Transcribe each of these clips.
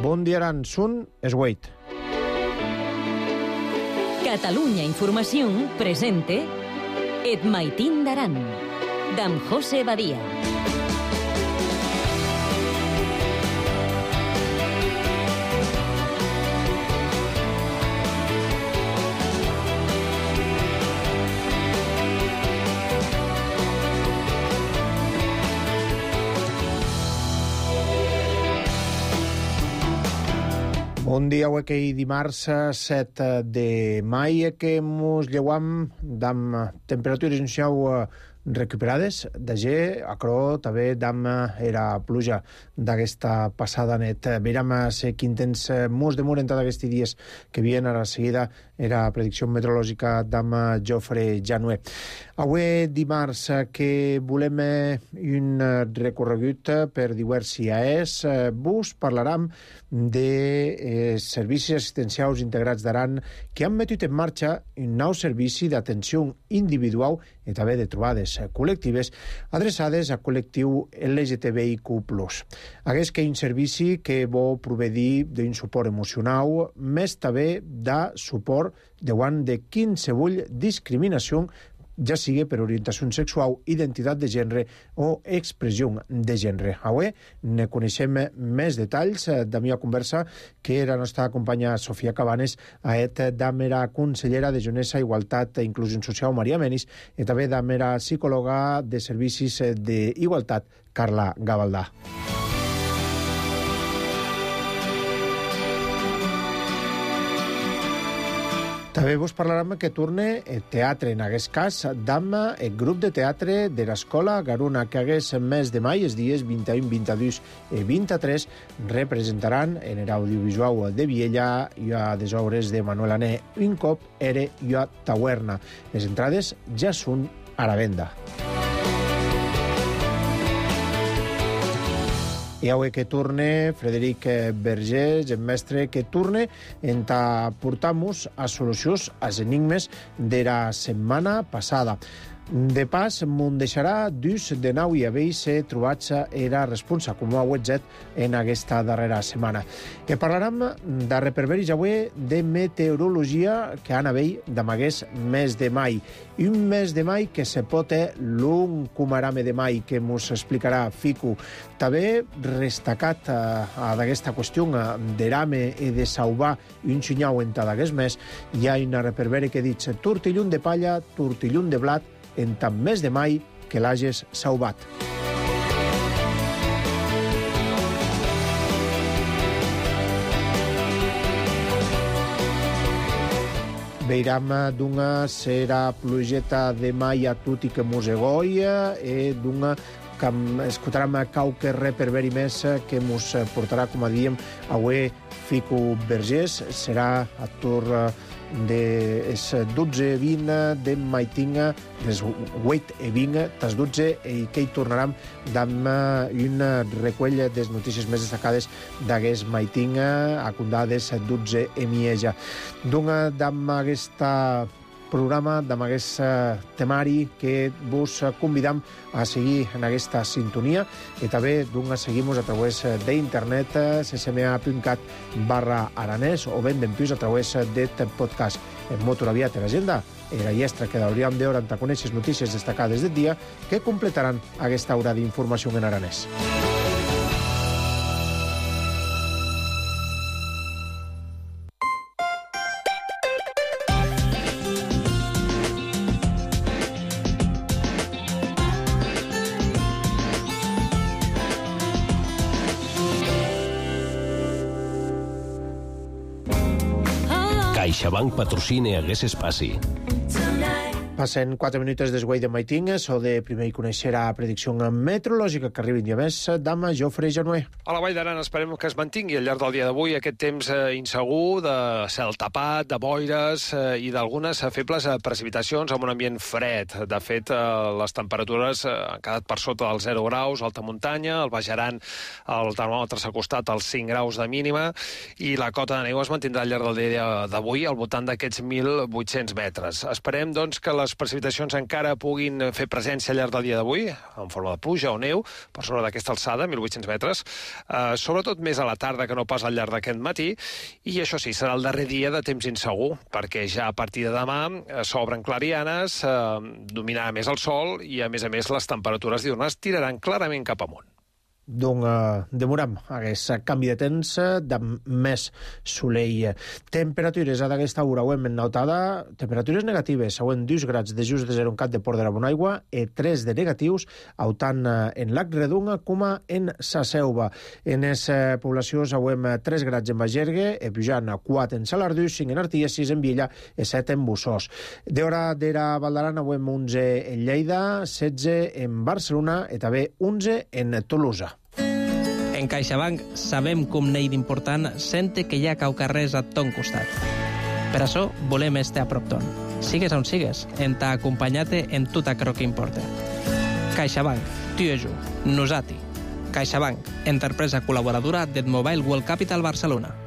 Bon dia, Aran. Sun es Wait. Catalunya Informació presente Et Maitín d'Aran, d'en José Badia. Bon dia, avui que dimarts 7 de maig que mos lleuam d'am temperatures iniciau recuperades d'agé, acrò també d'am era pluja d'aquesta passada net. Veiem quin temps mos demoren tots aquests dies que vien ara seguida era predicció meteorològica d'am Jofre Janué. Avui dimarts que volem un recorregut per diverses IAEs, vos parlarem de servicis assistencials integrats d'Aran que han metut en marxa un nou servici d'atenció individual i també de trobades col·lectives adreçades al col·lectiu LGTBIQ+. Aquest que un servici que vol proveir d'un suport emocional, més també de suport davant de qualsevol discriminació, ja sigui per orientació sexual, identitat de gènere o expressió de gènere. Avui ne coneixem més detalls de la meva conversa que la nostra companya Sofia Cabanes a la consellera de Jonesa, Igualtat i Inclusió Social, Maria Menis, i també de la psicòloga de Servicis d'Igualtat, Carla Gavaldà. També vos parlarem que torne el teatre, en aquest cas, d'am el grup de teatre de l'Escola Garuna, que hagués mes de maig, els dies 21, 22 i 23, representaran en l'audiovisual de Viella i a les obres de Manuel Ané, un cop era i a Tawerna. Les entrades ja són a la venda. I avui que torne Frederic Vergés, el mestre que torne, en portamos a solucions als enigmes de la setmana passada. De pas, m'ho deixarà dus de nou i haver-se trobats era responsa, com ho ha webzet en aquesta darrera setmana. Que parlarem de reperberis avui de meteorologia que han haver d'amagués mes de maig. Un mes de maig que se pot l'un cumarame de maig, que mos explicarà Fico. També destacat d'aquesta qüestió de rame i de sauvar un xinyau en d'aquest mes, hi ha una reperberi que dit tortillun de palla, tortillun de blat, en tant mes de maig que l'hages sauvat. Veiram d'una serà plugeta de maig a tutti que mosegoia i d'una que escoltarem qualque reperberi més que mos portarà, com a diem, avui Fico Vergés. Serà a torn de 12:20 de maitinga, des 8:20, tas 12, i que hi tornarem amb un recull de les notícies més destacades d'aquest maitinga, a condades 12 i mitja. D'amb aquesta programa, amb aquest temari que vos convidam a seguir en aquesta sintonia i també seguim-nos a través d'internet ccma.cat/aranès o ben d'empius a través d'aquest podcast. En molt aviat l'agenda i la llestra que hauríem de veure en conèixer notícies destacades del dia que completaran aquesta hora d'informació en aranès. CaixaBank patrocina aquest espaci. Passen 4 minuts des de maitingues o de primer conèixer la predicció meteorològica que arriba un dia més d'am Jofre Janué. A la Vall d'Aran esperem que es mantingui al llarg del dia d'avui aquest temps insegur, de cel tapat, de boires i d'algunes febles precipitacions amb un ambient fred. De fet, les temperatures han quedat per sota dels 0 graus, alta muntanya, al Baix Aran el termòmetre s'ha acostat als 5 graus de mínima i la cota de neu es mantindrà al llarg del dia d'avui al voltant d'aquests 1.800 metres. Esperem, doncs, que les les precipitacions encara puguin fer presència al llarg del dia d'avui, en forma de pluja o neu, per sobre d'aquesta alçada, 1.800 metres, sobretot més a la tarda que no pas al llarg d'aquest matí, i això sí, serà el darrer dia de temps insegur, perquè ja a partir de demà s'obren clarianes, dominarà més el sol i, a més, les temperatures diurnes tiraran clarament cap amunt. Donc, demoram aquest canvi de temps de més solell. Temperatures a d'aquesta hora ho hem notada, temperatures negatives, següent 2 grads de just de 0 en Cat de Port de la Bonaigua i 3 de negatius, tant en Lac Redonga com en Sa Selva. En les poblacions següent 3 grads en Bagergue, pujant 4 en Salardús, 5 en Artigas, 6 en Villa i 7 en Bussós. D'hora d'era Valdaran, avui 11 en Lleida, 16 en Barcelona i també 11 en Tolosa. En CaixaBank sabem com n'hi d'important sente que hi ha caucarrers a ton costat. Per això volem estar a prop ton. Sigues on sigues, en t'ha acompanyat en tot aquello que importa. CaixaBank, tu i jo, nosati. CaixaBank, empresa col·laboradora del Mobile World Capital Barcelona.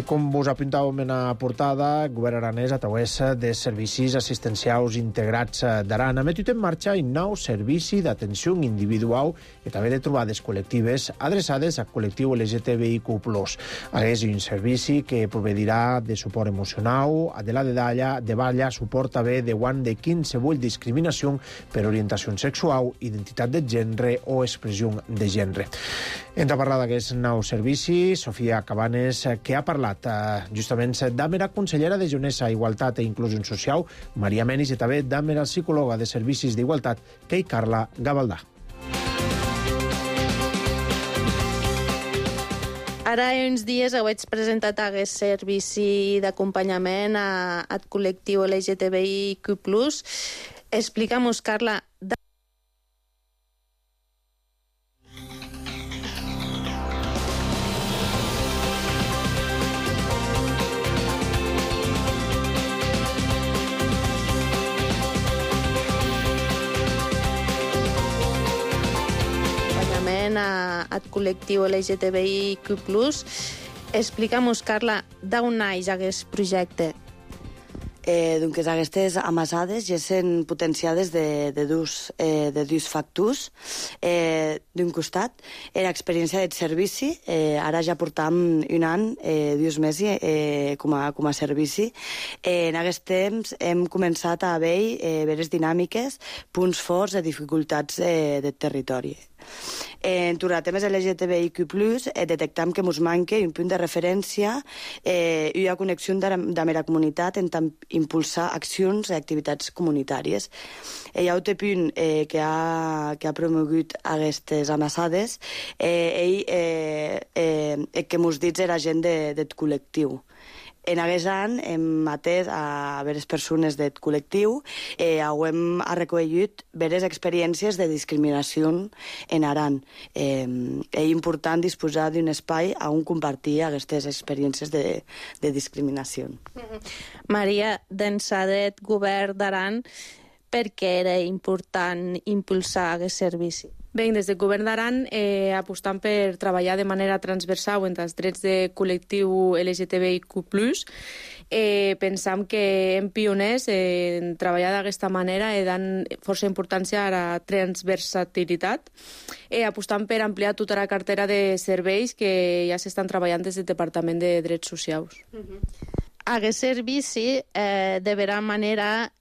Com vos apuntàvem en la portada, el govern aranès a través de servicis assistencials integrats d'Aran ha metut en marxa un nou servici d'atenció individual i també de trobades col·lectives adreçades al col·lectiu LGTBIQ+. És un servici que proveirà de suport emocional, de la de balla, suport també de guant de qualsevol discriminació per orientació sexual, identitat de gènere o expressió de gènere. Ens ha parlat d'aquest nou servici Sofia Cabanes, que ha parlat justament amb la consellera de Junesa, Igualtat i Inclusió Social, Maria Menis, i també amb la psicòloga de Servicis d'Igualtat, Kei Carla Gavaldà. Ara uns dies heu presentat aquest servici d'acompanyament al col·lectiu LGTBIQ+. Explica'm-nos, Carla, al col·lectiu LGTBIQ+. Explica'm-nos, Carla, d'on naix aquest projecte? Doncs aquestes amassades ja són potenciades de dos factors. D'un costat, l'experiència del servici, ara ja portam un any, 2 mesos com a servici. En aquest temps hem començat a veure veres dinàmiques, punts forts i dificultats del territori. En temes LGTBIQ+, detectam que ens manca un punt de referència i una connexió amb la comunitat en tant impulsar accions i activitats comunitàries. Hi ha un punt que ha promogut aquestes amassades que ens dit la gent del col·lectiu. En aquest any hem atès a veres persones del col·lectiu, hem recollit veres experiències de discriminació en Aran. És important disposar d'un espai on compartir aquestes experiències de discriminació. Maria, d'ençà del govern d'Aran, per què era important impulsar aquest servici? Bé, des del govern d'Aran apostant per treballar de manera transversal entre els drets de col·lectiu LGTBIQ+, pensam que hem pioners en treballar d'aquesta manera i dan força importància a la transversalitat, apostant per ampliar tota la cartera de serveis que ja s'estan treballant des del Departament de Drets Socials. Aquest servici, de vera manera,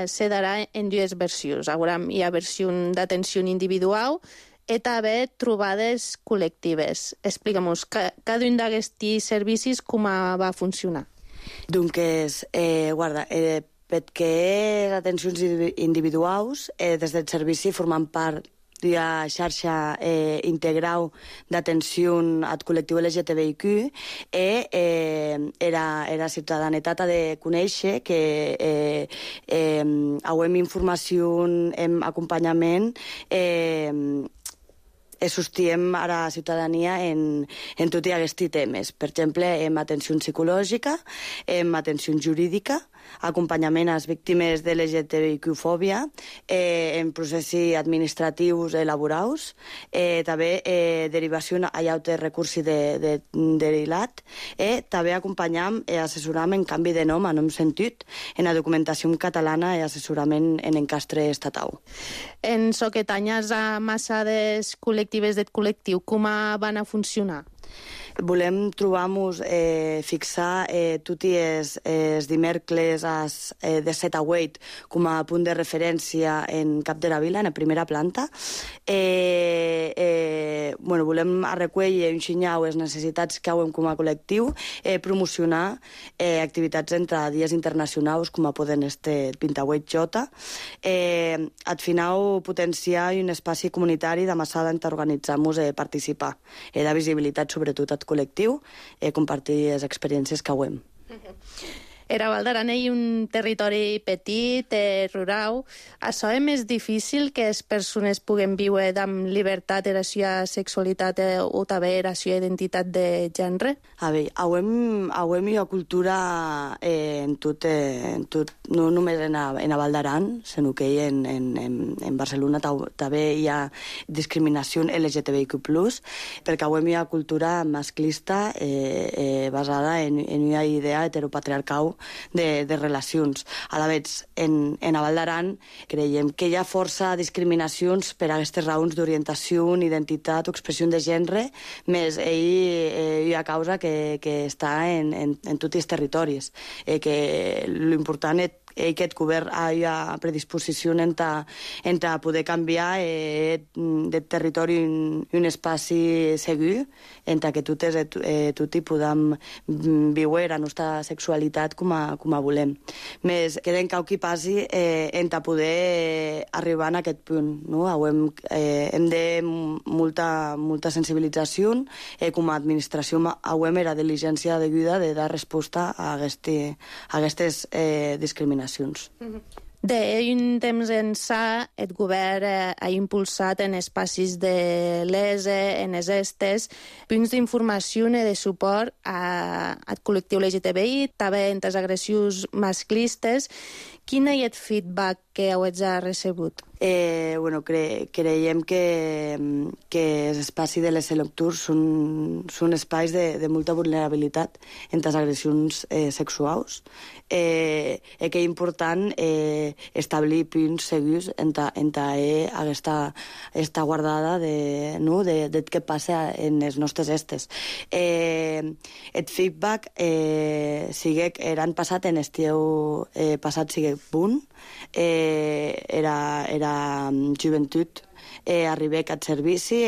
se darà en dues versions. Hi ha versió d'atenció individual i també trobades col·lectives. Explica'm-nos, cada un d'aquests servicis com va funcionar? Doncs, guarda, perquè atencions individuals, des del servici formant part de la xarxa integral d'atenció al col·lectiu LGTBIQ, la ciutadanetat ha de conèixer que hem informació, hem acompanyament, sostiem a la ciutadania en tots aquests temes. Per exemple, en atenció psicològica, en atenció jurídica, acompanyament a les víctimes de l'LGTBIQ-fòbia en processos administratius laborals, també derivació a llaute recursi de l'ILAT, també acompanyam i assessoram en canvi de nom, a nom sentit, en la documentació catalana i assessorament en encastre estatal. En so que tanyes a massades col·lectives del col·lectiu, com van a funcionar? Volem trobar-nos, fixar tots els dimecres de 7 a 8 com a punt de referència en Cap de la Vila, en la primera planta. Volem recollir un xinyau les necessitats que hem com a col·lectiu, promocionar activitats entre dies internacionals com a poden este 28J, al final potenciar un espai comunitari de massada en organitzar-nos a participar, de visibilitat sobretot al col·lectiu, compartir les experiències que hem. Era Val d'Aran és un territori petit, rural. Això és més difícil que les persones puguen viure amb llibertat de la seva sexualitat o també la seva identitat de gènere? A veure, hem una cultura en tot, no només en a Val d'Aran, sinó que en Barcelona també hi ha discriminació LGTBIQ+, perquè hem una cultura masclista basada en una idea heteropatriarcal de relacions. A la vegada, en a Val d'Aran creiem que hi ha força discriminacions per a aquestes raons d'orientació, identitat o expressió de gènere, més hi ha causa que està en tots els territoris. Que l'important és que aquest govern hi ha predisposició en poder canviar de territori un espai segur, en que tots podem viure la nostra sexualitat com a volem. Més queden cau qui passi en poder arribar a aquest punt. Hem de molta sensibilització, com a administració hem la diligència deguda de dar resposta a aquestes discriminacions. D'un temps ençà, el govern ha impulsat en espais de l'ESE, en les estes, punts d'informació i de suport al col·lectiu LGTBI, també en les agressions masclistes. Quin és el feedback que heu recebut? Creiem que els espais de les electors són espais de molta vulnerabilitat en les agressions sexuals. Que és important establir punts segurs en aquesta guardada de què passa en les nostres estes. El feedback l'any passat, en estiu passat, sigue punt, era joventut, arribec al servici,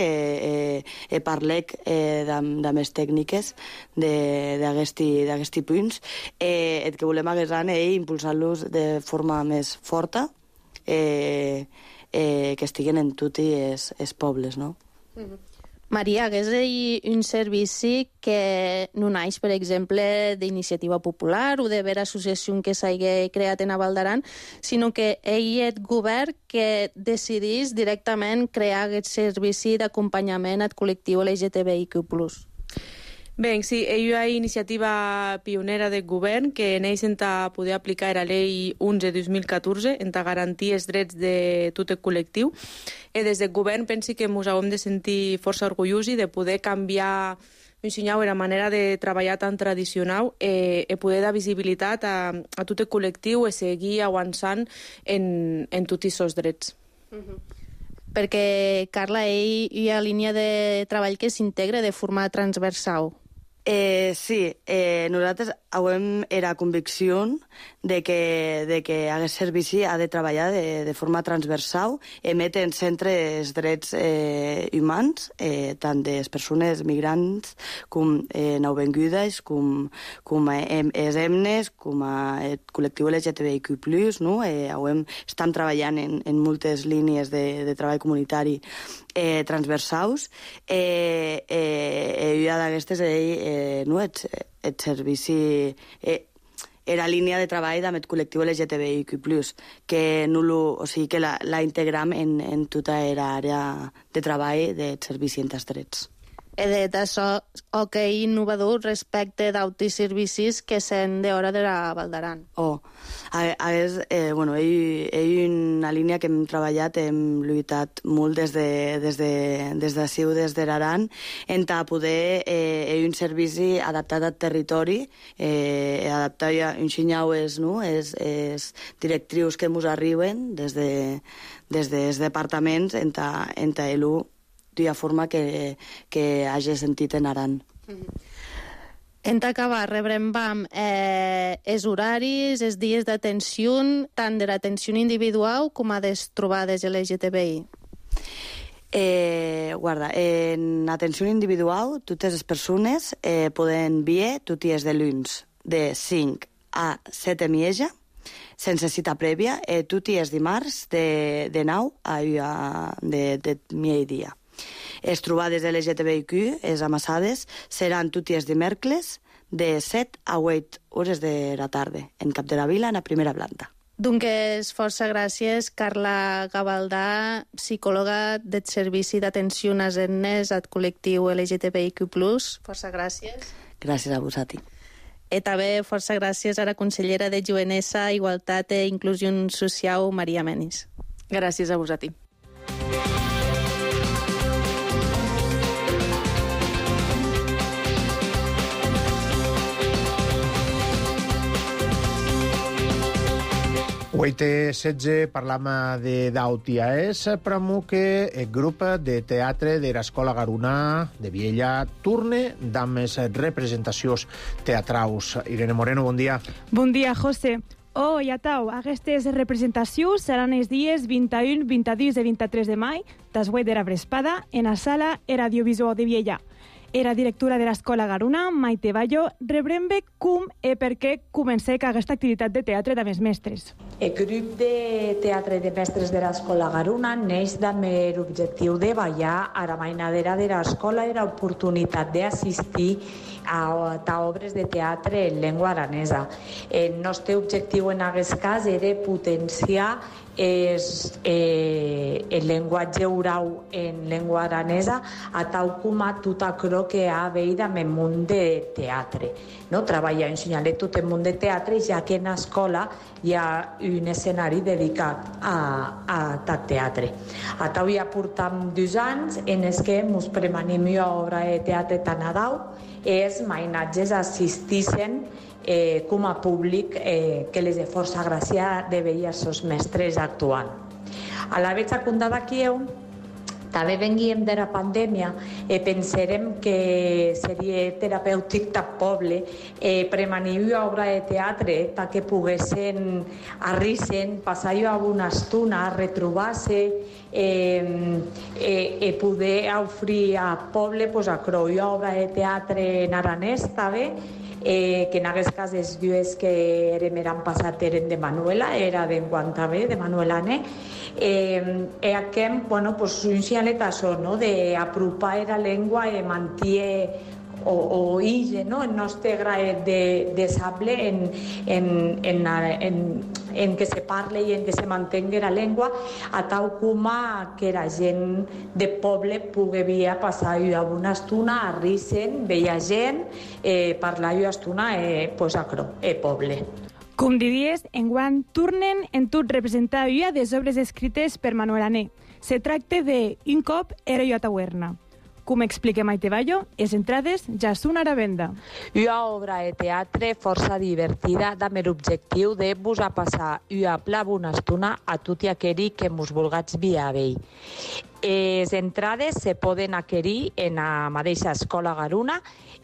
parlec de més tècniques d'aquests punts. El que volem aguesar és impulsar-los de forma més forta, que estiguen en tots els pobles, no? Maria, és un servici que no naix, per exemple, d'iniciativa popular o de vera associació que s'hagi creat en a Val d'Aran, sinó que ell és el govern que decidís directament crear aquest servici d'acompanyament al col·lectiu LGTBIQ+. Bé, sí, hi ha iniciativa pionera del govern que neix en poder aplicar la llei 11-2014 en garantir els drets de tot el col·lectiu. Des del govern pensi que ens hem de sentir força orgullosos de poder canviar la manera de treballar tan tradicional i poder dar visibilitat a tot el col·lectiu i seguir avançant en tots aquests drets. Perquè, Carla, hi ha línia de treball que s'integra de forma transversal. Sí, nosaltres hem la convicció de que aquest servici ha de treballar de forma transversal, emet en centre els drets humans, tant de les persones migrants com nouvingudes, com els emnes, com el col·lectiu LGTBIQ+, no? Estem treballant en moltes línies de treball comunitari transversals. I d'aquestes el servici era línia de treball amb el col·lectiu LGTBIQ+, que la integram en tota l'àrea de treball del servici en els drets. d'això, innovador respecte d'autis servicis que s'han d'hora de la Valdaran. Ell una línia que hem treballat, hem lluitat molt des d'ací, des d'Aran, en poder un servici adaptat al territori, adaptat a un xinyau és directrius que ens arriben des dels departaments en elu d'una forma que hagi sentit en Aran. En acabar, rebrem els horaris, els dies d'atenció, tant de l'atenció individual com a les trobades LGTBI. En atenció individual, totes les persones poden vir tots els dilluns de 5 a 7 de mitja, sense cita prèvia, tots els dimarts de 9 a de migdia. Les trobades LGTBIQ, les amassades, seran tots els dimecres de 7 a 8 hores de la tarda, en Cap de la Vila, en la primera planta. Doncs força gràcies, Carla Gavaldà, psicòloga del Servici d'Atenció a Nenes al col·lectiu LGTBIQ+. Força gràcies. Gràcies a vosaltres. I també força gràcies a la consellera de Jovenesa, Igualtat i Inclusió Social, Maria Menis. Gràcies a vosaltres. Uite 16 parlam d'Autiaès, pramo que el grup de teatre de l'Escola Garunà de Viella torne amb les representacions teatrals. Irene Moreno, bon dia. Bon dia, José. I atau, aquestes representacions seran els dies 21, 22 i 23 de maig, després de la vesprada, en la sala Era Audiovisual de Viella. Era directora de l'Escola Garuna, Maite Ballo, rebrembe com i per què comencé aquesta activitat de teatre de mestres. El grup de teatre de mestres de l'Escola Garuna neix amb l'objectiu de ballar a la mainadera de l'escola i l'oportunitat d'assistir a obres de teatre en llengua aranesa. El nostre objectiu en aquest cas era potenciar el llenguatge oral en llengua aranesa a tal com a tot allò que ha veït amb el món de teatre. No? Treballar ensenyant tot el món de teatre, ja que en l'escola hi ha un escenari dedicat a tal teatre. A tal ja portam 2 anys en els que ens premanim una obra de teatre tan adau i els mainatges assistissen com a públic que les de força gràcia de veure els mestres actuant. A la vez acundada aquí també venguem de la pandèmia i pensarem que seria terapèutic del poble premanir una obra de teatre perquè poguessin arrissen, passar una estona, retrobar-se i poder oferir al poble a una obra de teatre en aranès també, que en aquest cas els llues que eren passat eren de Manuela, era d'enguant també, de Manuela Ané, i aquest, un xalet això, d'apropar la llengua i mantenir o ille, el nostre graet de sable en que se parle i en que se mantengui la llengua a tal com que la gent de poble pugui vir a passar una bona estona, a risen, veia gent, parlar una estona a poble. Com diries, enguant tornen en tot representar una des obres escrites per Manuel Ané. Se tracta de Un cop era jo a taverna. Com explica Maite Ballo, les entrades ja són a la venda. Una obra de teatre força divertida amb l'objectiu de vos a passar una bona estona a tot aquell que mos vulguis vir a veure. Les entrades se poden adquirir en la mateixa Escola Garuna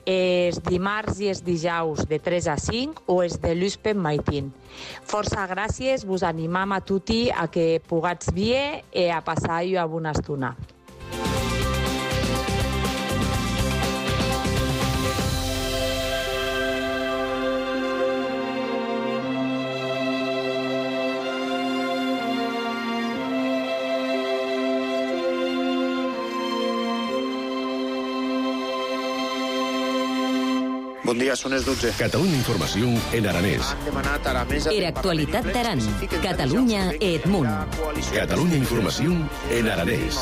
els dimarts i els dijous de 3 a 5 o els de l'Uspen Maitín. Força gràcies, vos animam a tutti a que pugats vir i a passar una bona estona. Bon dia, són les 12. Catalunya Informació en aranès. Han demanat a la mesa... Era actualitat d'Aran, Catalunya e Edmunt. Catalunya Informació en aranès.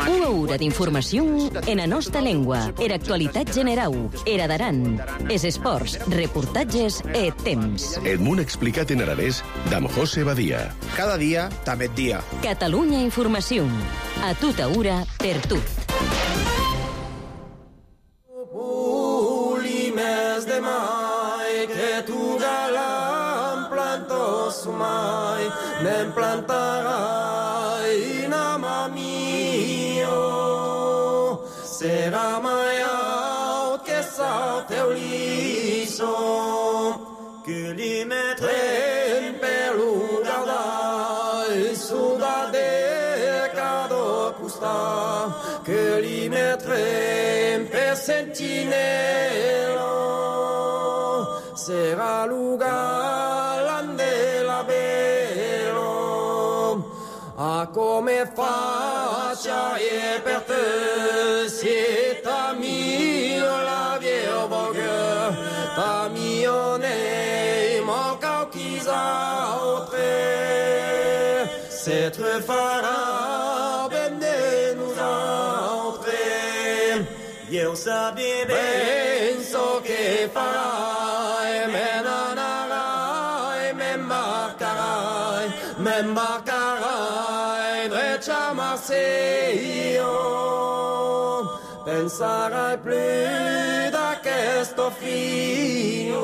Una hora d'informació en la nostra llengua. Era actualitat generau, era d'Aran. Es esports, reportatges e temps. Edmunt explicat en aranès d'amb José Badia. Cada dia, també dia. Catalunya Informació. A tota hora, per tu. Mes de mai que tu galam plantos mai nem plantará inama mio será mai out que sal teu liso que li metrem pelo guardai suda de cada custa que li metrem per sentinela será lugar ande la velo a come faccia e per te si ta mio la vieille vogue ta mio ne manca chisa autre c'est très farà bene nous autres io sabia penso che farà m'embarcarai dretto a Marseille pensarai più da questo figlio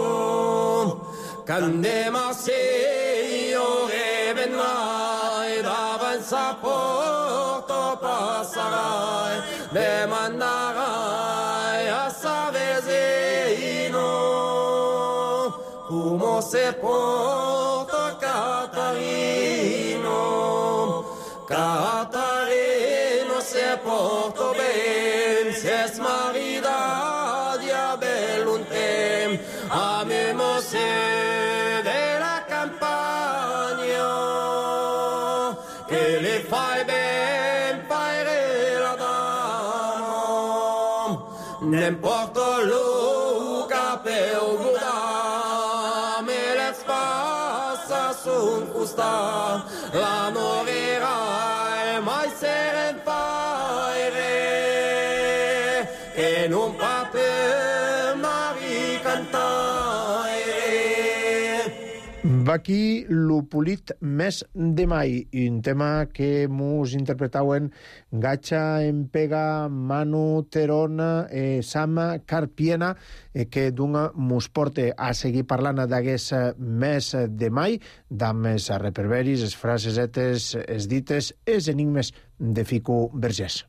quando Marseille revenerai davanti a porto passerai le manderai a Savezino come se porta Catarino se porto ben, se es marida dia belluntem, a me mose de la campagna, che le fai ben paire la dama, nem porto Luca per guda, me le spassa sun custa, la noverai mai seren faire che non pa per mari cantare. Va aquí l'Upolit mes de mai, un tema que mos interpretauen Gatxa Empega, Manu Terona, Sama Carpiena, que dunga mos porte a seguir parlant d'aquest mes de mai, d'amb els reperberis, les frasesetes, els dites, els enigmes de Fico Vergés.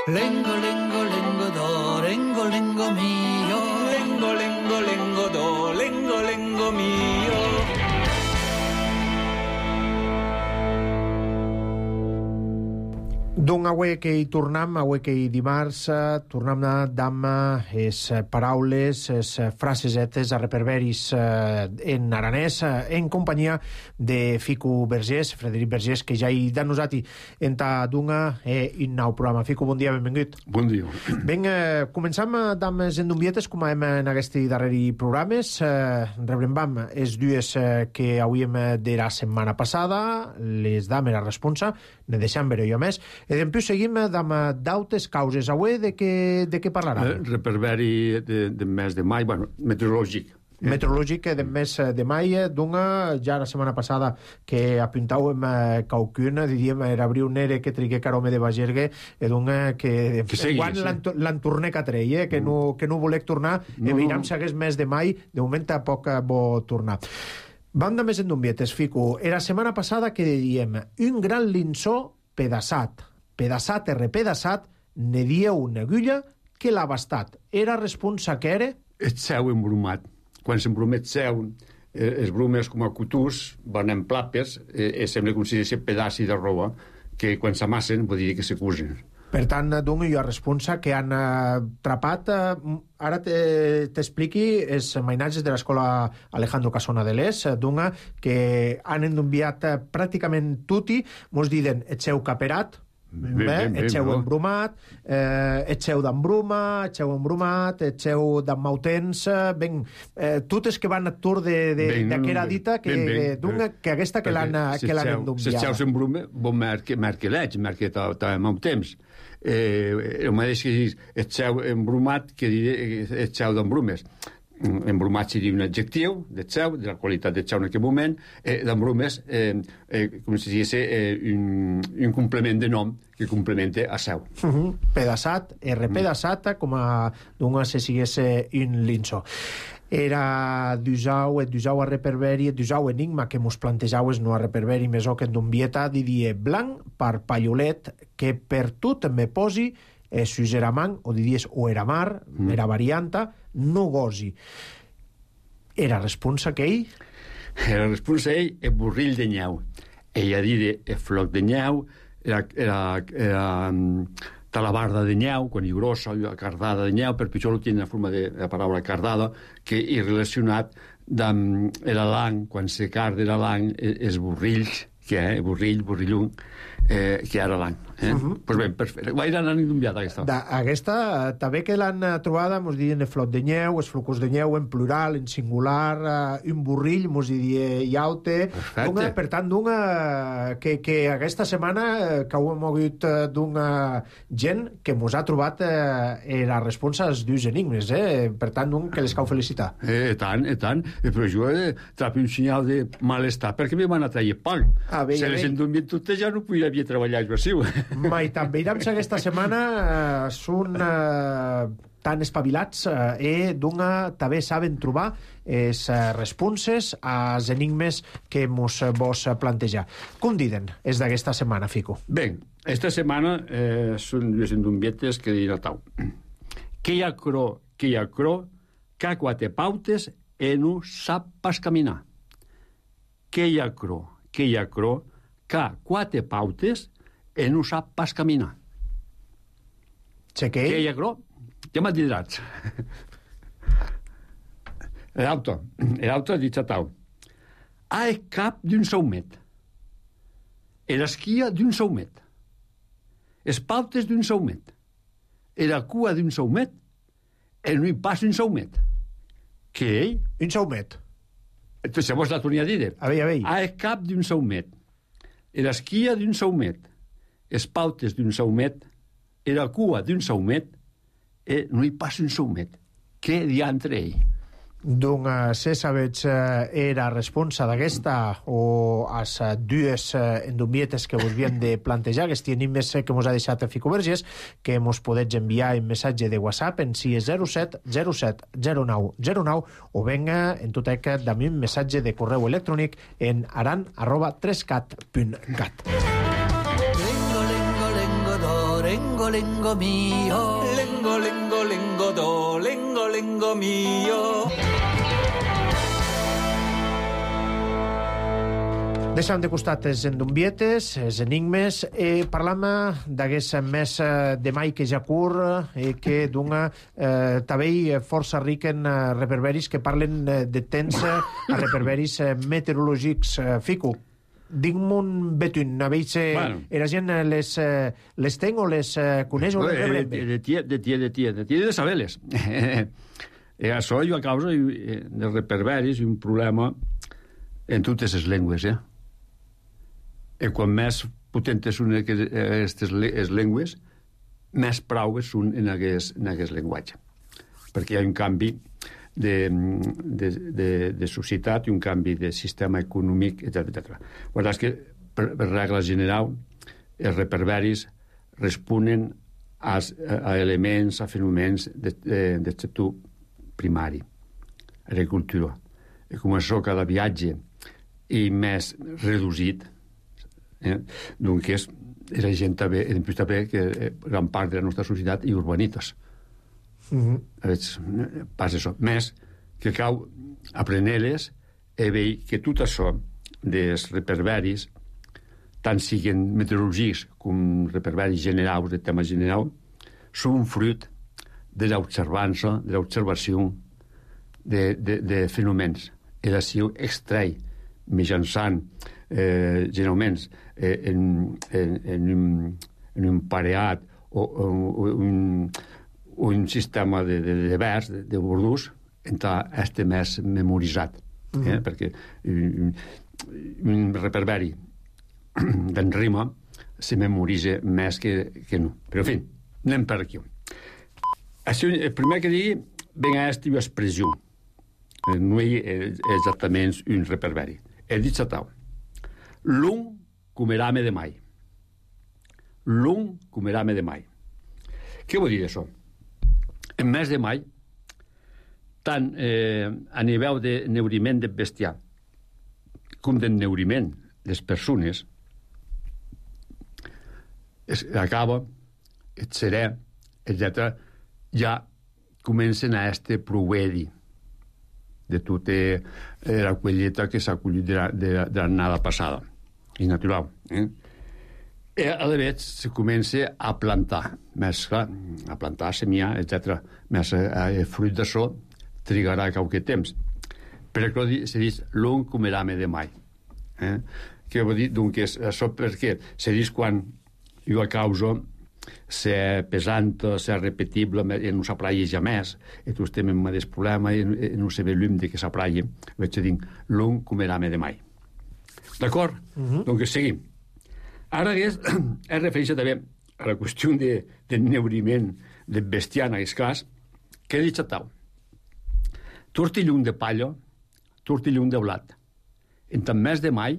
Lengo, lengo, lengo do, lengo, lengo mio. Lengo, lengo, lengo do, lengo, lengo mio. D'un avui que hi tornam, avui que hi dimarts, tornam d'amb les paraules, les frasesetes a reperberis en aranès, en companyia de Fico Vergés, Frederic Vergés, que ja hi da nosati en ta dunga un nou programa. Fico, bon dia, benvingut. Bon dia. Ben, començam d'amb les endumbietes, com hem en aquests darreri programes. Rebrembam els dues que hauríem de la setmana passada, les dam era responsa, ne deixam veure jo més. I després seguim d'autes causes. Avui de què parlarà? Reperberi del mes de mai, bueno, meteorològic. Meteorològic del mes de mai, d'una, ja la setmana passada que apuntàvem qualcun, diríem, era abriu nere que trigué carome de Bagergue, d'una que quan l'entornec a trei, que no volec tornar, veiem si hagués mes de mai, de moment tampoc vol tornar. Vam de més endumbietes, Fico. Era setmana passada que diem un gran linçó pedaçat, repedaçat, ne dieu una agulla que l'ha bastat. Era responsa que era? El cel embrumat. Quan s'embrumet cel, els brumes com a cutús van en plapes, sembla com si sigui pedaci de roba, que quan s'amassen vol dir que s'acusen. Per tant, doncs, jo responsa que han atrapat, ara t'expliqui, els mainatges de l'escola Alejandro Casona de l'Es, doncs, que han enviat pràcticament tutti, mos diuen, echeu caperat, echeu embrumat, echeu d'embruma, echeu embrumat, echeu d'emmautens, ben, totes que van a tour d'aquera dita que aquesta que l'han enviat. Si echeu d'embruma, bon marque l'eig, marque t'emmautens. El mateix que echeu embrumat que echeu d'embrumes. Embrumat seria un adjectiu d'echeu, de la qualitat d'echeu en aquell moment, d'embrumes, com si digués, un complement de nom que complementa a seu. Pedaçat, repedaçat, com se sigués un linso. Era d'usau a reperberi, d'usau enigma que mos plantejaues no a reperberi mesó que en d'umbieta didie blanc par pallolet que per tot me posi sus eramant, o diries o eramar, era varianta, no gosi. Era responsa que ell? Era responsa ell, e burrill de nyau. Ella dire e floc de nyau, era talabarda de nyau, quan hi grossa, cardada de nyau, per pitjor ho tiene la forma de la paraula cardada, que hi relacionat amb l'ang, quan se carda era l'ang, els burrills, que burrillun, que era l'any. Pues bé, perfecte. Guaire n'han enviat aquesta. Aquesta, també que l'han trobada, mos diuen flot de nyeu, els flocos de nyeu en plural, en singular, un burrill, mos diuen iaute. Perfecte. Per tant, que aquesta setmana que ho hem mogut d'una gent que mos ha trobat la responsa als dos enigmes, per tant, que les cal felicitar. Tant. Però jo trapi un senyal de malestar, perquè me van a trair pan. Si les endumien totes ja no podria haver treballat jo. Mai també irem aquesta setmana són tan espavilats també saben trobar les responses als enigmes que mos vos plantejar. Com diuen és d'aquesta setmana, Fico? Bé, esta setmana són dues endumbietes que diuen a tau. Que hi ha cro, que quatre pautes e no sap pas caminar. Que hi ha cro, que quatre pautes e no sap pas caminar. Que hi ha cro, ja m'ha dit. L'auto ha dit a tau. Ha el cap d'un saumet, l'esquia d'un saumet, les pautes d'un saumet, la cua d'un saumet, no hi pas un saumet. Què? Un saumet. Entonces, vos la tornia a dir. A veure. Ha el cap d'un saumet, l'esquia d'un saumet, les pautes d'un saumet, la cua d'un saumet, no hi passa un saumet. Què diantre ell? Doncs, se sabets era responsa d'aquesta o as dues endumbietes que vos havien de plantejar, aquests enigmes que mos ha deixat Fico Vergés, que mos podets enviar en missatge de WhatsApp en 607 07 09 09 o venga en tot aquest també un missatge de correu electrònic en aran@3cat.cat. Lengo, lengo mio, lengo, lengo, lengo do, lengo, lengo mio. Deixem de costat els endumbietes, els enigmes, parlam d'aquest mes de mai que ja cur, que dona també força ric en reperberis que parlen de temps a reperberis meteorològics. Fico, dic-me'n betun, a veure la gent les ten o les coneix o les rebrem bé? De saber-les. Això jo a causa de reperberis un problema en totes les llengües, I quan més potentes són aquestes llengües, més praues són en aquest llenguatge. Perquè hi ha un canvi de societat i un canvi de sistema econòmic, etc. La veritat és que, per regla general, els reperberis responen a elements, a fenòmens del sector primari, agricultura. I com això cada viatge i més reduït, doncs la gent també, que gran part de la nostra societat i urbanites. Passa això. Més que cal aprendre-les i veure que tot això dels reperberis tant siguin meteorològics com reperberis generals, de temes generals, són fruit de l'observança, de l'observació de fenòmens. I d'ací extrai mitjançant generalment en un pareat o un sistema de vers, de bordús, entre este més memoritzat. Perquè un reperberi d'en rima se memoritza més que no. Però, en fi, anem per aquí. El primer que digui, ben a aquesta expressió. No és exactament un reperberi. He dit satau. L'un comerame de mai. L'un comerame de mai. Què vol dir això? En mes de mai, tant a nivell de neuriment del bestiar com de neuriment de les persones, acaba, el serè, etc., ja comencen a este provedi de tota la collita que s'ha collit de l'annada passada. És natural. I a la vegada se comença a plantar, més clar, a plantar, semiar, etc. Més el fruit d'això trigarà qualque temps. Però se diu l'un comerame de mai. Què vol dir? Doncs això perquè se diu quan jo a causa ser pesant, ser repetible, no s'apraia jamais, i tu estem en aquest problema i no se ve llum de que s'apraia. Vaig dir, l'un comerame de mai. D'acord? Doncs seguim. Ara es refereix també a la qüestió de neuriment del bestiar en aquest cas, que he dit tal. Tortillum de palla, tortillum de blat. En tant mes de mai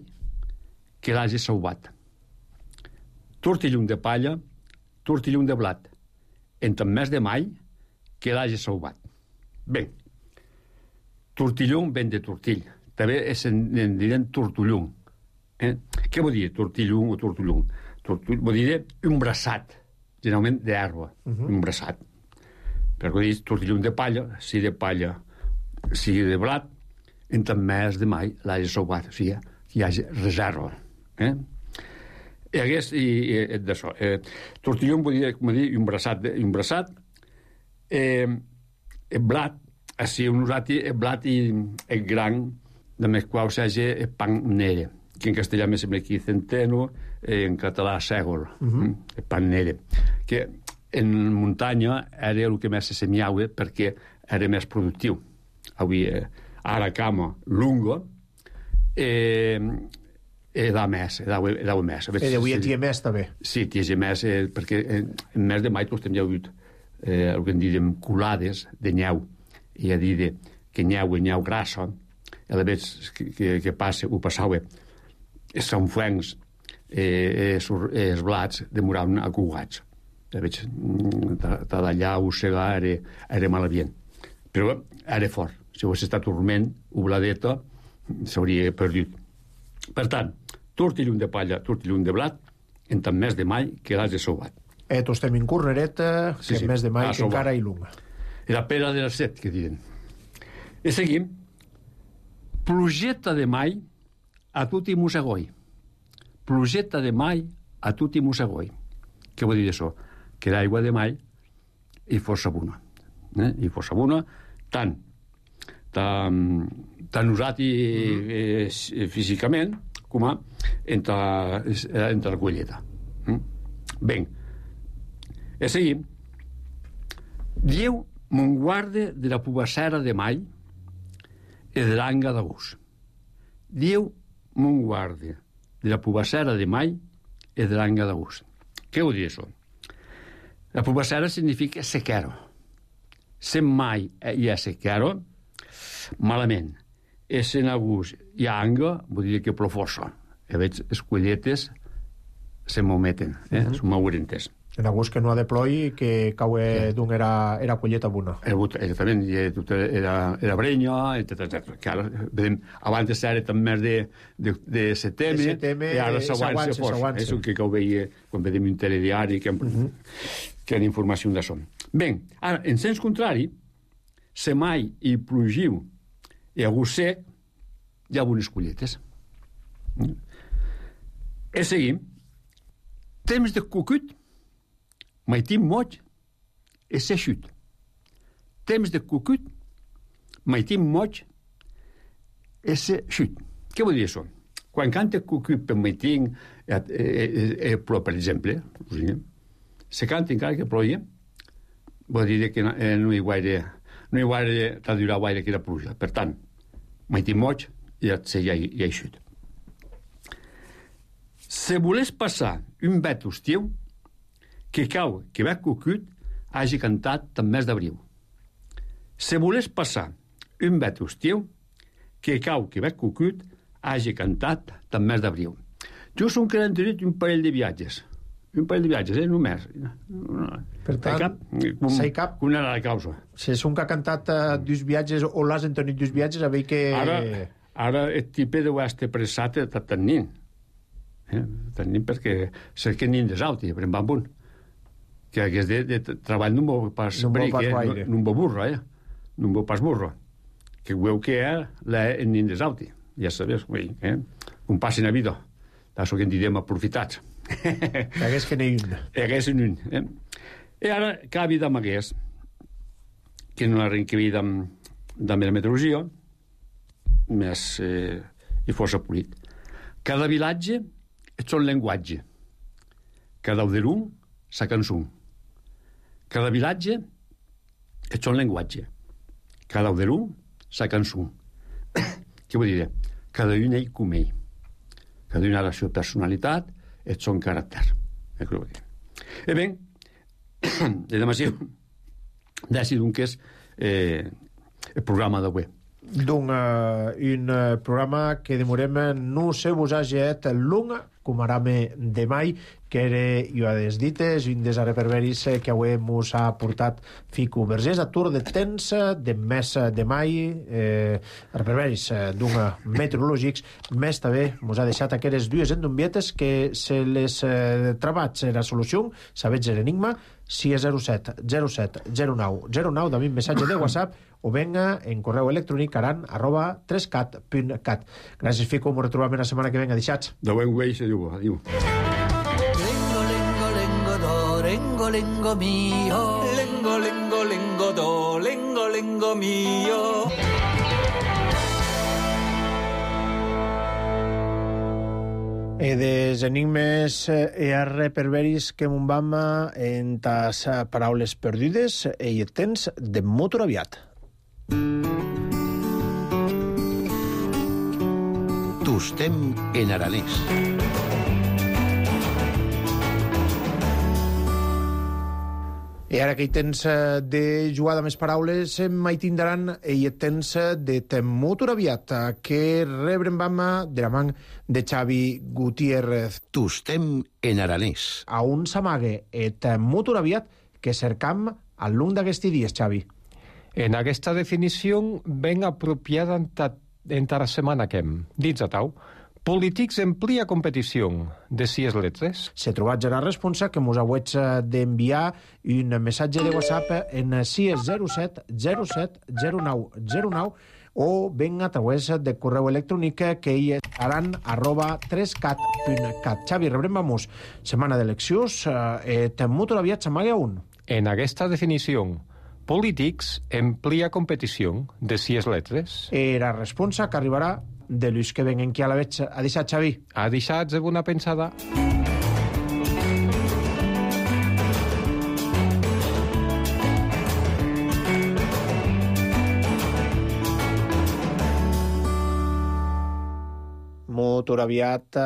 que l'hagi sauvat. Tortillum de palla, tortillum de blat. En tant mes de mai que l'hagi sauvat. Bé, tortillum ven de tortill. També en diuen tortullum. Què vol dir tortillum o tortullum? Vol dir un braçat, generalment d'herba, un braçat. Perquè dir tortillum de palla, si de palla, si de blat, en tant mes de mai l'hagi sauvat. O sigui, hi hagi reserva. I d'això. Tortillum vol dir, com dir, un braçat. El blat, així un usat el blat i el gran, de més qual s'hagi el pan nere, que en castellà me sembla aquí centeno, en català sègol, el pan nere, que en muntanya era el que més se semiava perquè era més productiu. Avui, ara cama lunga, da més. Avui t'hi ha més, també. Sí, t'hi ha més, perquè en mes de mai tots hem hagut el que en diem colades de nyeu, i a dir que nyeu grassa, a la vegada que passa, ho passava, els sanfuencs, els blats, demoraven acugats. A la vegada, d'allà, ossegar, era malament. Però era fort. Si hagués estat dorment, o bladeta, s'hauria perdut. Per tant, tortillum de palla, tortillum de blat, en tant mes de mai que l'has de sauvat. Tu estem en cornereta, que en mes de mai que encara hi lunga. La pera de les 7, que diuen. I seguim. Plugeta de mai a tutti musegoi. Plugeta de mai a tutti musegoi. Què vol dir això? Que l'aigua de mai hi força bona. Hi força bona, tant usat físicament com entre la colleta. Bé, i seguim. Dieu mon guarde de la pubassera de mai e de l'anga d'agost. Dieu mon guarde de la pubassera de mai e de l'anga d'agost. Què vol dir això? La pubassera significa sequero. Se mai hi ha sequero, malament. E se en agost hi ha anga, vol dir que plou força. I veig, les colletes se m'ometen, són maurentes. En agost que no ha de ploi, que cau d'un era colleta bona. Exactament, era brenya, etc. Que ara, vedem, abans era també de setembre, i ara s'aguança força. És el que ho veia quan vedem un telediari que han informació d'això. Bé, ara, en sens contrari, se mai i plugiu i agost sec, hi ha bones colletes. E seguim. Temps de cucut, maitim moig, e se xut. Temps de cucut, maitim moig, e se xut. Què vol dir això? Quan canta cucut per maitim, però, per exemple, se canta encara que ploia, vol dir que no hi guaire traduirà guaire que la pluja. Per tant, maitim moig, i se ja hi xut. Se volés passar un vet estiu, que cau que va cucut hagi cantat en mes d'abril. Se volés passar un vet estiu, que cau que va cucut hagi cantat en mes d'abril. Jo som que n'han tenit un parell de viatges. Només. Per tant, s'hi cap... Una era la causa. Si és un que ha cantat dos viatges o l'has entenit dos viatges, a veure que... Ara el tipus deu estar pressat de tenir. Tenim perquè sé que n'hi des alti, per en punt. Que aquest de treball no m'ho pas bric, no m'ho burro, no m'ho pas burro. Que veu que n'hi des alti. Ja sabes, com passin a vida. D'això que en direm aprofitats. Hagués que n'hi un. Hagués un. I ara, cada vida m'hagués, que no arrenca vida de la meteorologia, més i força polit. Cada vilatge és son llenguatge. Cada uderum sa cançó. Cada vilatge és son llenguatge. Cada uderum sa cançó. Què vull dir? Cada un ell com ell. Cada un ha la seva personalitat i son caràcter. E bé, de demasiu decidim que és el programa d'avui. Donc, un programa que demorem no se vos ha jet lung, com arame de mai, que era, jo has dit, un des reperberis que avui mos ha portat Fico Vergés a tour de temps de mes de mai, reperberis d'un meteorològics, més també mos ha deixat aquelles dues endombietes que se les trebats la solució, sabets l'enigma, si és 07 07 09 09, també un missatge de WhatsApp, o venga en correu electrònic aran@3cat.cat. Gràcies, Fico, ens retrobem la setmana que venga. Deixats. De buen güey se diu. Adiu. Lengo, lengo, lengo, do, lengo, lengo mio. Lengo, lengo, lengo, do, lengo, lengo mio. E des enigmes e reperberis que mon vam en tas paraules perdudes e hi tens de motor aviat. Tostem en aranès. I ara que hi tens de jugar amb les paraules, mai tindran i tens de temut aviat, que rebrem vam de la man de Xavi Gutiérrez. Tostem en aranès. A un s'amague et temut aviat que cercam al lung d'aquesti dies, Xavi. En aquesta definició ben apropiada en la setmana que hem. Dins a tau, polítics emplia competició de 6 letres. Se trobat ja la responsa que mos hauets d'enviar un missatge de WhatsApp en 607 07 09 09 o ben a través de correu electrònic que hi estaran @3cat.cat. Xavi, rebrem vamos setmana d'eleccions. Temut aviat s'amague a un. En aquesta definició, polítics emplia competició de 6 letres. La responsa que arribarà de Lluís que venguen qui a la veig. Ha deixat, Xavi? Ha deixat de bona pensada. Motor aviat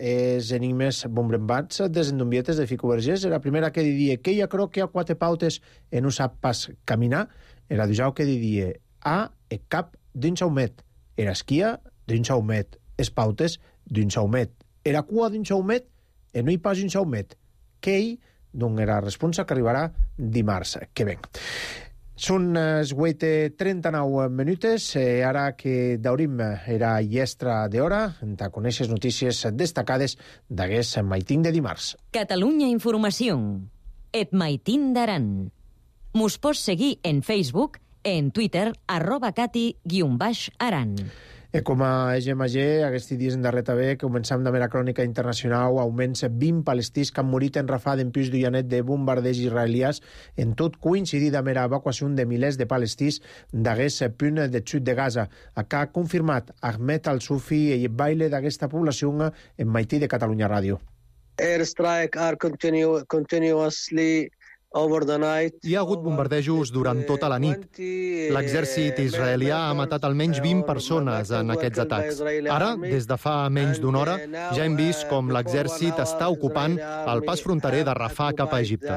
és enigmes bombrembats des endombietes de Fico Vergés. La primera que diria que hi ha croque a 4 pautes e no sap pas caminar. Era dijau que diria a e cap d'un saumet. Era esquia d'un saumet. Es pautes d'un saumet. Era cua d'un saumet e no hi pas un saumet. Que hi, doncs era la responsa que arribarà dimarts que ven. Són 8:39 minutes, ara que daurim era llestra d'hora, de conèixer notícies destacades d'aguest maitín de dimarts. Catalunya Informació. Et maitín d'Aran. Mos pots seguir en Facebook, en Twitter, @cati_aran. Com a EGMG, aquests dies en darrer també, començam amb la crònica internacional, augments 20 palestins que han morit en rafà d'empís d'ullanet de bombardeig israelians, en tot coincidit amb l'evacuació de milers de palestins d'aquest punt de sud de Gaza. Acá ha confirmat Ahmed Al-Sufi, el baile d'aquesta població en Maití de Catalunya Ràdio. Airstrike are continuously over the night. Hi ha hagut bombardejos durant tota la nit. L'exèrcit israelià ha matat almenys 20 persones en aquests atacs. Ara, des de fa menys d'una hora, ja hem vist com l'exèrcit està ocupant el pas fronterer de Rafah cap a Egipte.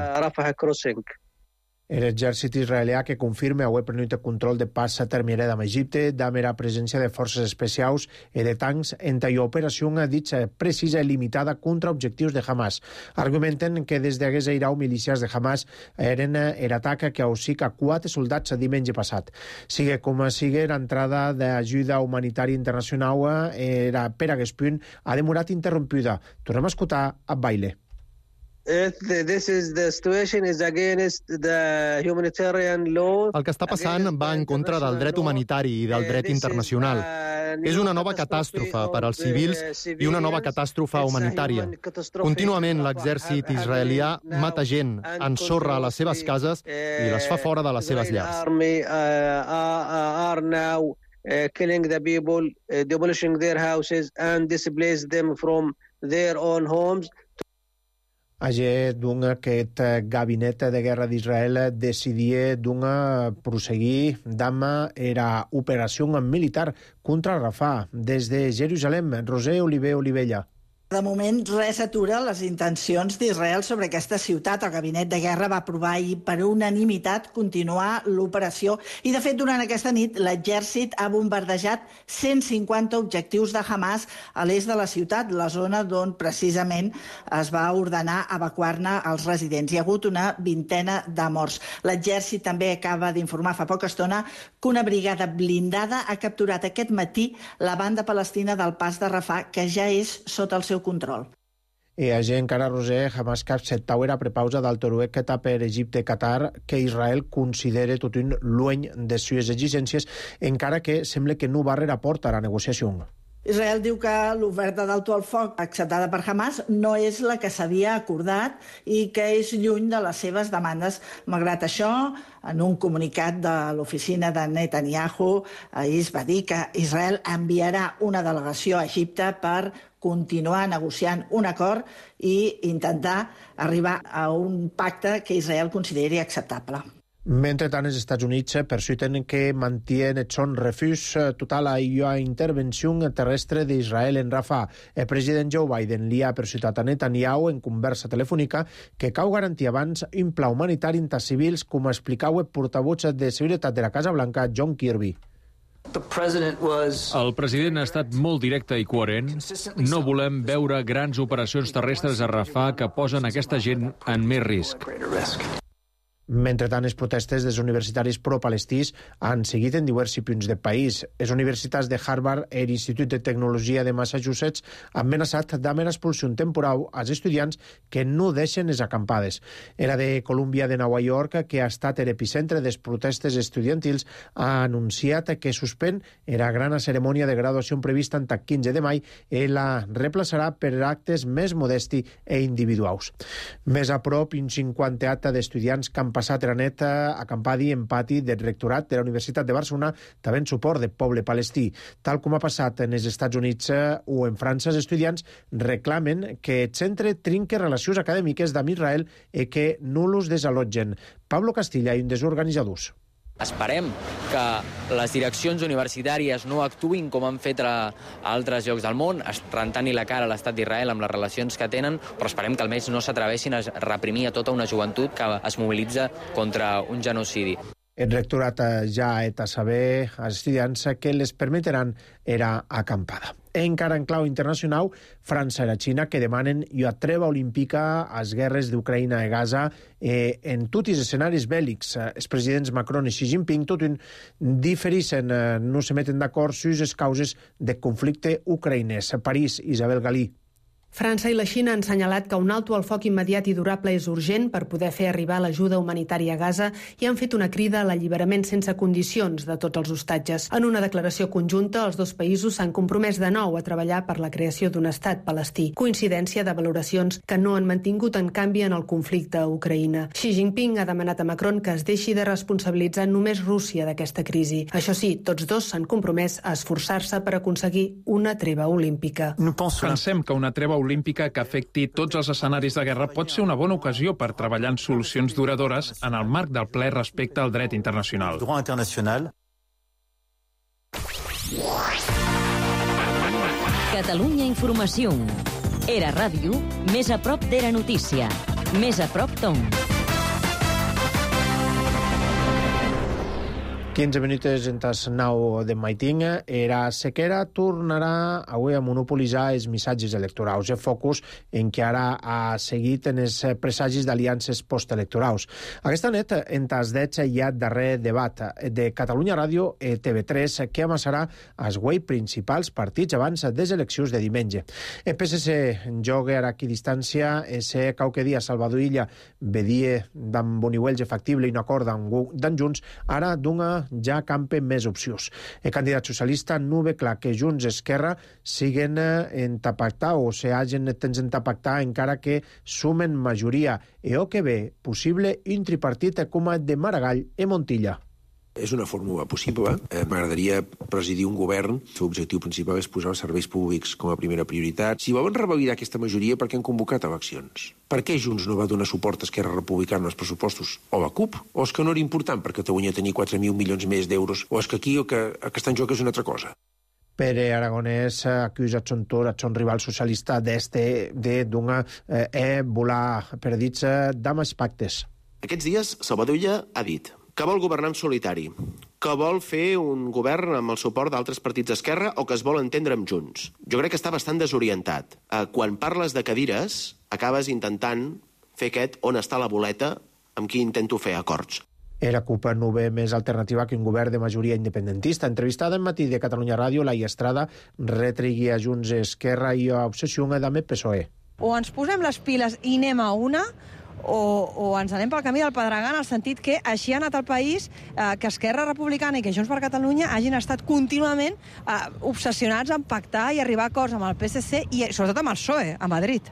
L'exèrcit israelià que confirma haver prenut el control de pas terminada amb Egipte, amb la presència de forces especials i de tancs en l'operació ditxa precisa i limitada contra objectius de Hamas. Argumenten que des d'hagués airau milícies de Hamas eren l'atac que ausica 4 soldats diumenge passat. Sigue com sigue, l'entrada d'ajuda humanitària internacional per aquest punt ha demorat interrompuda. Tornem a escoltar a Baile. This is the situation is against the humanitarian law. El que està passant va en contra del dret humanitari i del dret internacional. És una nova catàstrofe per als civils i una nova catàstrofe humanitària. Contínuament l'exèrcit israelià mata gent, ensorra les seves cases i les fa fora de les seves llars. Killing the people, demolishing their houses and displace them from their own homes. Ayer, aquest gabinet de guerra d'Israel decidia prosseguir amb la operació militar contra Rafah des de Jerusalem. Roser Olivella. De moment, res atura les intencions d'Israel sobre aquesta ciutat. El gabinet de guerra va aprovar ahir per unanimitat continuar l'operació i, de fet, durant aquesta nit l'exèrcit ha bombardejat 150 objectius de Hamas a l'est de la ciutat, la zona d'on precisament es va ordenar evacuar-ne els residents. Hi ha hagut una vintena de morts. L'exèrcit també acaba d'informar fa poca estona que una brigada blindada ha capturat aquest matí la banda palestina del pas de Rafah, que ja és sota el seu control. I a gent encara, Roser, Hamas acceptau era prepausa del toruec que per Egipte i Qatar que Israel considere tot un lueny de sues exigències, encara que sembla que no va reportar a la negociació. Israel diu que l'oferta d'alto al foc acceptada per Hamas no és la que s'havia acordat i que és lluny de les seves demandes. Malgrat això, en un comunicat de l'oficina de Netanyahu, es va dir que Israel enviarà una delegació a Egipte per continuar negociant un acord i intentar arribar a un pacte que Israel consideri acceptable. Mentrestant, els Estats Units persisten que mantien son refús total a la intervenció terrestre d'Israel en Rafah. El president Joe Biden li ha persuadat a Netanyahu en conversa telefònica que cal garantir abans un pla humanitari entre civils, com explicava el portavoz de seguretat de la Casa Blanca, John Kirby. El president ha estat molt directe i coherent. No volem veure grans operacions terrestres a Rafah que posen aquesta gent en més risc. Mentrestant, les protestes dels universitaris pro-palestins han seguit en diversos punts del país. Les universitats de Harvard i l'Institut de Tecnologia de Massachusetts han amenaçat amb l'expulsió temporal als estudiants que no deixen les acampades. La de Columbia de Nova York, que ha estat l'epicentre de les protestes estudiantils, ha anunciat que suspèn la gran cerimònia de graduació prevista el 15 de maig i la replaçarà per actes més modesti i individuals. Més a prop, un 50 d'estudiants que han passat la nit acampadi en pati del rectorat de la Universitat de Barcelona, també en suport del poble palestí. Tal com ha passat en els Estats Units o en França, els estudiants reclamen que el centre trinque relacions acadèmiques amb Israel i que no los desallotgen. Pablo Castilla, un dels organitzadors. Esperem que les direccions universitàries no actuïn com han fet a altres llocs del món, rentant-hi la cara a l'estat d'Israel amb les relacions que tenen, però esperem que almenys no s'atreveixin a reprimir a tota una joventut que es mobilitza contra un genocidi. El rectorat ja ha de saber als estudiants que les permetran era acampada. Encara en clau internacional, França i la Xina que demanen una treva olímpica a les guerres d'Ucraïna i Gaza en tots els escenaris bèl·lics. Els presidents Macron i Xi Jinping tot difereixen, no se meten d'acord sobre les causes del conflicte ucraïnès. París, Isabel Galí. França i la Xina han assenyalat que un alto al foc immediat i durable és urgent per poder fer arribar l'ajuda humanitària a Gaza i han fet una crida a l'alliberament sense condicions de tots els hostatges. En una declaració conjunta, els dos països s'han compromès de nou a treballar per la creació d'un estat palestí, coincidència de valoracions que no han mantingut en canvi en el conflicte a Ucraïna. Xi Jinping ha demanat a Macron que es deixi de responsabilitzar només Rússia d'aquesta crisi. Això sí, tots dos s'han compromès a esforçar-se per aconseguir una treva olímpica. Pensem que una treva olímpica que afecti tots els escenaris de guerra pot ser una bona ocasió per treballar en solucions duradores en el marc del ple respecte al dret internacional. Catalunya Informació. Era ràdio, més a prop d'Era Notícia. Més a prop d'on. 15 minuts entes 9 de maitinga. Era Sequera tornarà avui a monopolitzar els missatges electorals. El focus en què ara ha seguit en els presagis d'aliances postelectorals. Aquesta nit, entes 10 hi ha darrer debat de Catalunya Ràdio i TV3 que amassarà els guai principals partits abans des eleccions de diumenge. El PSC joga ara aquí distància ese qualque dia Salvador Illa vedie d'en Boniuelge factible i un acord d'en Junts ara d'una ja campen més opcions. El candidat socialista no ve clar que Junts Esquerra siguen en pactar o se hagin temps en pactar encara que sumen majoria o que ve possible un tripartit com el de Maragall i Montilla. És una fórmula possible. M'agradaria presidir un govern. El seu objectiu principal és posar els serveis públics com a primera prioritat. Si volen revalidar aquesta majoria, per què han convocat eleccions? Per què Junts no va donar suport a Esquerra Republicana als pressupostos? O la CUP? O és que no era important per Catalunya tenir 4.000 milions més d'euros? O és que aquí el que està en joc és una altra cosa? Pere Aragonès acusa son rival socialista de volar perdits d'amb els pactes. Aquests dies, Salvador Illa ha dit que vol governar en solitari, que vol fer un govern amb el suport d'altres partits d'esquerra o que es vol entendre amb Junts. Jo crec que està bastant desorientat. Quan parles de cadires, acabes intentant fer aquest on està la boleta amb qui intento fer acords. La CUP no ve més alternativa que un govern de majoria independentista. Entrevistada en Matí de Catalunya Ràdio, Laia Estrada retregui a Junts Esquerra i a Obsessió amb el PSOE. O ens posem les piles i anem a una, o ens anem pel camí del Pedregar en el sentit que així ha anat el país, que Esquerra Republicana i que Junts per Catalunya hagin estat contínuament obsessionats en pactar i arribar a acords amb el PSC i sobretot amb el PSOE, a Madrid.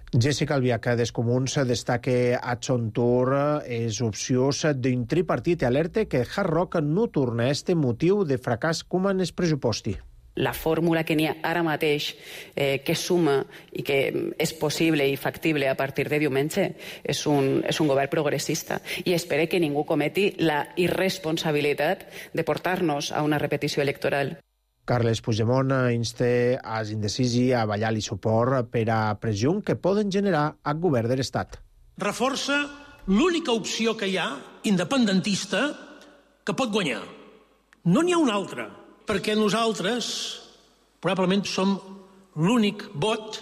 Jessica Albiach, dels Comuns, destaca a Son Tour les opcions d'un tripartit i alerta que Hard Rock no torna a este motiu de fracàs com en el pressuposti. La fórmula que n'hi ha ara mateix que suma i que és possible i factible a partir de diumenge és un govern progressista i espero que ningú cometi la irresponsabilitat de portar-nos a una repetició electoral. Carles Puigdemont insta als indecisi a ballar-li suport per a pressió que poden generar al govern de l'Estat. Reforça l'única opció que hi ha, independentista, que pot guanyar. No n'hi ha una altra. Perquè nosaltres probablement som l'únic vot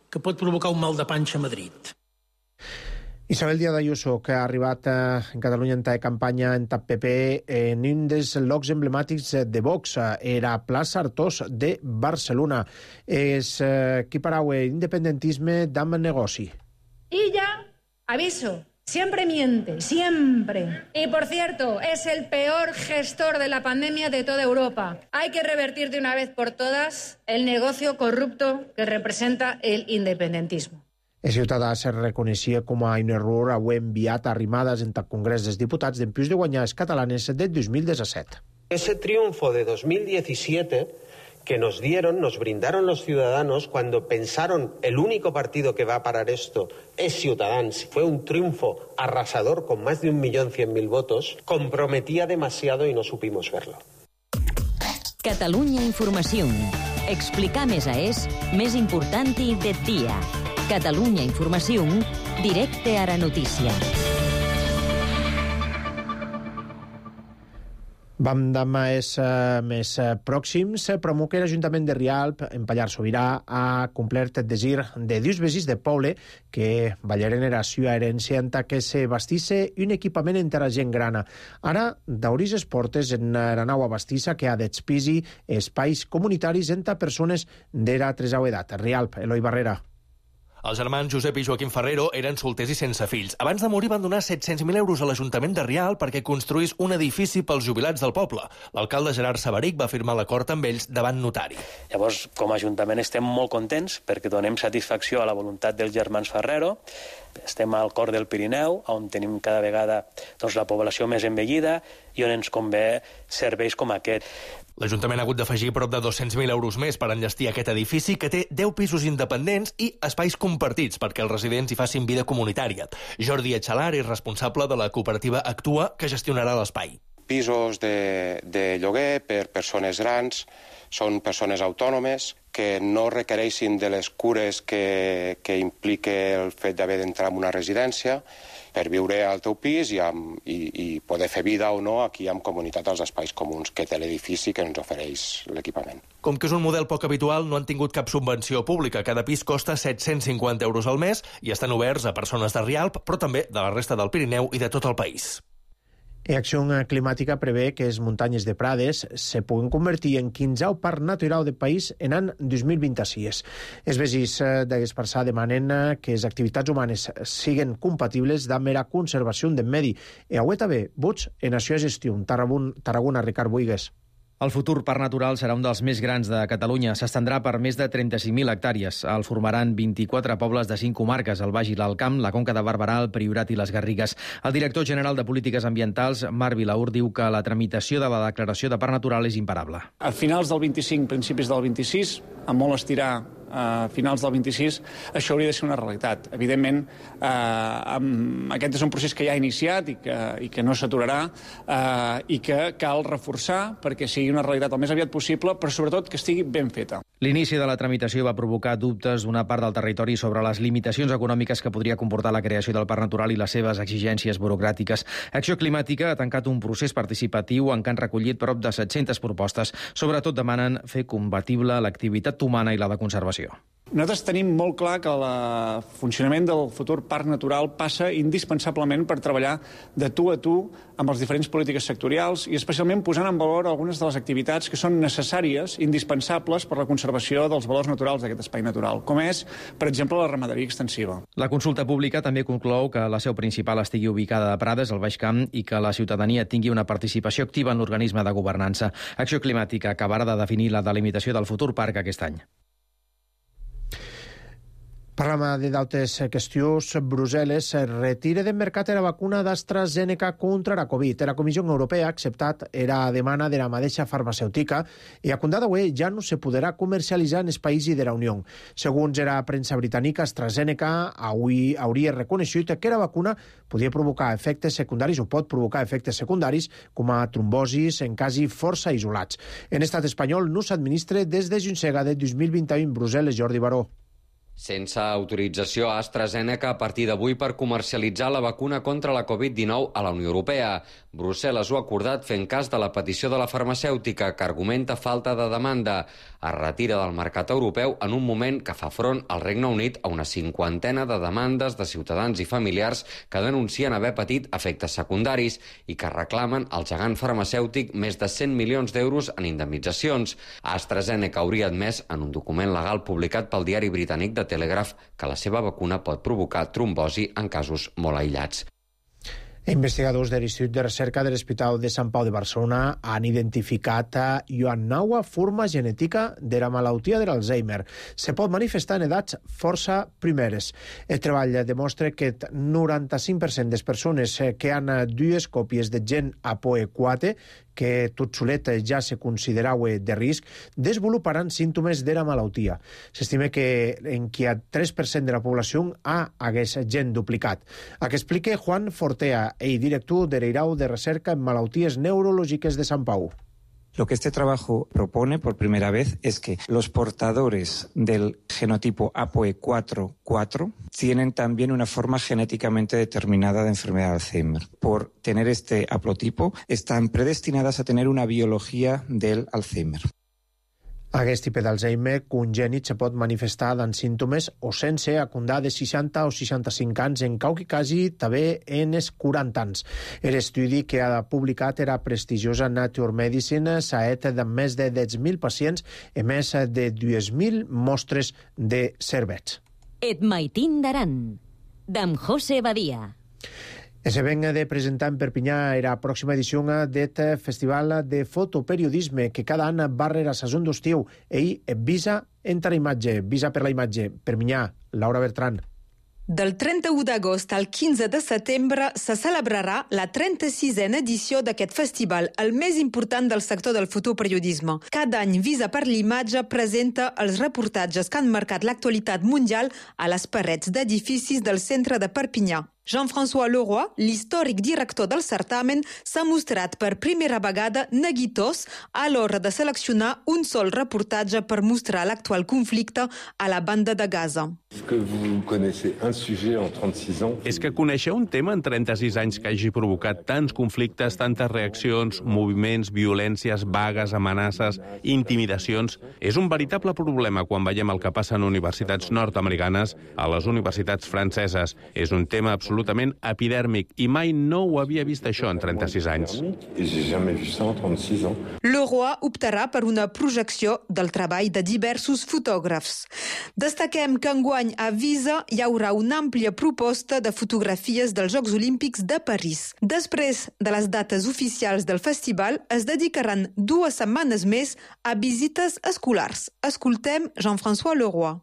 que pot provocar un mal de panxa a Madrid. Isabel Díaz Ayuso, que ha arribat en Catalunya en campanya en TAP PP en un dels llocs emblemàtics de Vox, era plaça Artós de Barcelona. És qui parau independentisme d'amb negoci. Illa, aviso, siempre miente, siempre. Y por cierto, es el peor gestor de la pandemia de toda Europa. Hay que revertir de una vez por todas el negocio corrupto que representa el independentismo. El ciutadà se reconeixia com a un error avui enviat a Arrimadas en el Congrés dels Diputats d'empús de guanyar els catalanes del 2017. Ese triunfo de 2017 que nos brindaron los ciudadanos cuando pensaron el único partido que va a parar esto es Ciutadans, fue un triunfo arrasador con más de 1.100.000 votos, comprometía demasiado y no supimos verlo. Catalunya Informació. Explicar més és més important i de dia. Catalunya Informació, directe a la notícia. Vam demà més pròxims, promou que l'Ajuntament de Rialp, en Pallar Sobirà, ha complert el desir de dos veïns de poble que ballaren era sua herència en que se bastisse un equipament en la gent grana. Ara, d'obrir les portes en la nova bastissa que ha d'expisi espais comunitaris entre persones d'era tresau edat. Rialp, Eloi Barrera. Els germans Josep i Joaquim Ferrero eren solters i sense fills. Abans de morir van donar 700.000 euros a l'Ajuntament de Rialp perquè construís un edifici pels jubilats del poble. L'alcalde Gerard Sabarich va firmar l'acord amb ells davant notari. Llavors, com a Ajuntament estem molt contents perquè donem satisfacció a la voluntat dels germans Ferrero. Estem al cor del Pirineu, on tenim cada vegada la població més envellida i on ens convé serveis com aquest. L'Ajuntament ha hagut d'afegir prop de 200.000 euros més per enllestir aquest edifici que té 10 pisos independents i espais compartits perquè els residents hi facin vida comunitària. Jordi Etxalar és responsable de la cooperativa Actua, que gestionarà l'espai. Pisos de lloguer per persones grans, són persones autònomes que no requereixin de les cures que implica el fet d'haver d'entrar en una residència per viure al teu pis i poder fer vida o no aquí en comunitat als espais comuns que té l'edifici que ens ofereix l'equipament. Com que és un model poc habitual, no han tingut cap subvenció pública. Cada pis costa 750 euros al mes i estan oberts a persones de Rialp, però també de la resta del Pirineu i de tot el país. Acció Climàtica prevé que les muntanyes de Prades se puguen convertir en 15è parc natural del país en l'any 2026. Els veïns d'Esparçà demanen que les activitats humanes siguin compatibles amb la conservació del medi. I avui també vots en això gestió. Tarragona, Ricard Buigues. El futur parc natural serà un dels més grans de Catalunya. S'estendrà per més de 35.000 hectàrees. El formaran 24 pobles de 5 comarques, el Baix i l'Alt Camp, la Conca de Barberà, el Priorat i les Garrigues. El director general de Polítiques Ambientals, Marc Vilaur, diu que la tramitació de la declaració de parc natural és imparable. A finals del 25, principis del 26, a molt estirar a finals del 26, això hauria de ser una realitat. Evidentment, aquest és un procés que ja ha iniciat i que no s'aturarà i que cal reforçar perquè sigui una realitat el més aviat possible, però sobretot que estigui ben feta. L'inici de la tramitació va provocar dubtes d'una part del territori sobre les limitacions econòmiques que podria comportar la creació del parc natural i les seves exigències burocràtiques. Acció Climàtica ha tancat un procés participatiu en què han recollit prop de 700 propostes. Sobretot demanen fer compatible l'activitat humana i la de conservació. Nosaltres tenim molt clar que el funcionament del futur parc natural passa indispensablement per treballar de tu a tu amb les diferents polítiques sectorials i especialment posant en valor algunes de les activitats que són necessàries, indispensables per la conservació dels valors naturals d'aquest espai natural, com és, per exemple, la ramaderia extensiva. La consulta pública també conclou que la seu principal estigui ubicada a Prades, al Baix Camp, i que la ciutadania tingui una participació activa en l'organisme de governança. Acció Climàtica acabarà de definir la delimitació del futur parc aquest any. Parlam d'altres qüestions. Brussel·les retira del mercat la vacuna d'AstraZeneca contra la Covid. La Comissió Europea ha acceptat la demanda de la mateixa farmacèutica i a contar d'avui ja no se podrà comercialitzar en els països de la Unió. Segons la premsa britànica, AstraZeneca avui hauria reconegut que la vacuna podia provocar efectes secundaris o pot provocar efectes secundaris com a trombosis en casos força isolats. En estat espanyol no s'administra des de juny de 2021 en Brussel·les. Jordi Baró. Sense autorització a AstraZeneca a partir d'avui per comercialitzar la vacuna contra la Covid-19 a la Unió Europea. Brussel·les ho ha acordat fent cas de la petició de la farmacèutica, que argumenta falta de demanda. Es retira del mercat europeu en un moment que fa front al Regne Unit a una 50ena de demandes de ciutadans i familiars que denuncien haver patit efectes secundaris i que reclamen al gegant farmacèutic més de 100 milions d'euros en indemnitzacions. AstraZeneca hauria admès en un document legal publicat pel diari britànic de Telegraph que la seva vacuna pot provocar trombosi en casos molt aïllats. Investigadors de l'Institut de Recerca de l'Hospital de Sant Pau de Barcelona han identificat una nova forma genètica de la malaltia de l'Alzheimer. Se pot manifestar en edats força primeres. El treball demostra que el 95% de les persones que han dues còpies de gen APOE4, que tot solet ja se considerava de risc, desenvoluparan símptomes de la malaltia. S'estima que en qui a 3% de la població hagués gen duplicat. El que explica Juan Fortea, director de l'Irau de Recerca en Malalties Neurològiques de Sant Pau. Lo que este trabajo propone por primera vez es que los portadores del genotipo APOE4-4 tienen también una forma genéticamente determinada de enfermedad de Alzheimer. Por tener este haplotipo, están predestinadas a tener una biología del Alzheimer. Aquest tipus d'Alzheimer congènit se pot manifestar amb símptomes o sense acundar de 60 o 65 anys, en qualque casi també en els 40 anys. L'estudi que ha publicat era prestigiosa Nature Medicine s'ha fet de més de 10.000 pacients i més de 2.000 mostres de cervets. Et maitin d'Aran, d'en José Badia. Se ven de presentar en Perpinyà la pròxima edició d'aquest festival de fotoperiodisme que cada any va rere sason d'estiu i Visa entra imatge, Visa per la imatge. Perpinyà, Laura Bertran. Del 31 d'agost al 15 de setembre se celebrarà la 36a edició d'aquest festival, el més important del sector del fotoperiodisme. Cada any Visa per l'imatge presenta els reportatges que han marcat l'actualitat mundial a les parets d'edificis del centre de Perpinyà. Jean-François Leroy, l'històric director del certamen, s'ha mostrat per primera vegada neguitós a l'hora de seleccionar un sol reportatge per mostrar l'actual conflicte a la banda de Gaza. És que conèixer un tema en 36 anys que hagi provocat tants conflictes, tantes reaccions, moviments, violències, vagues, amenaces, intimidacions, és un veritable problema quan veiem el que passa en universitats nord-americanes, a les universitats franceses. És un tema absolutament epidèrmic i mai no ho havia vist això en 36 anys. Leroy optarà per una projecció del treball de diversos fotògrafs. Destaquem que enguany a Visa hi haurà una àmplia proposta de fotografies dels Jocs Olímpics de París. Després de les dates oficials del festival, es dedicaran 2 setmanes més a visites escolars. Escoltem Jean-François Leroy.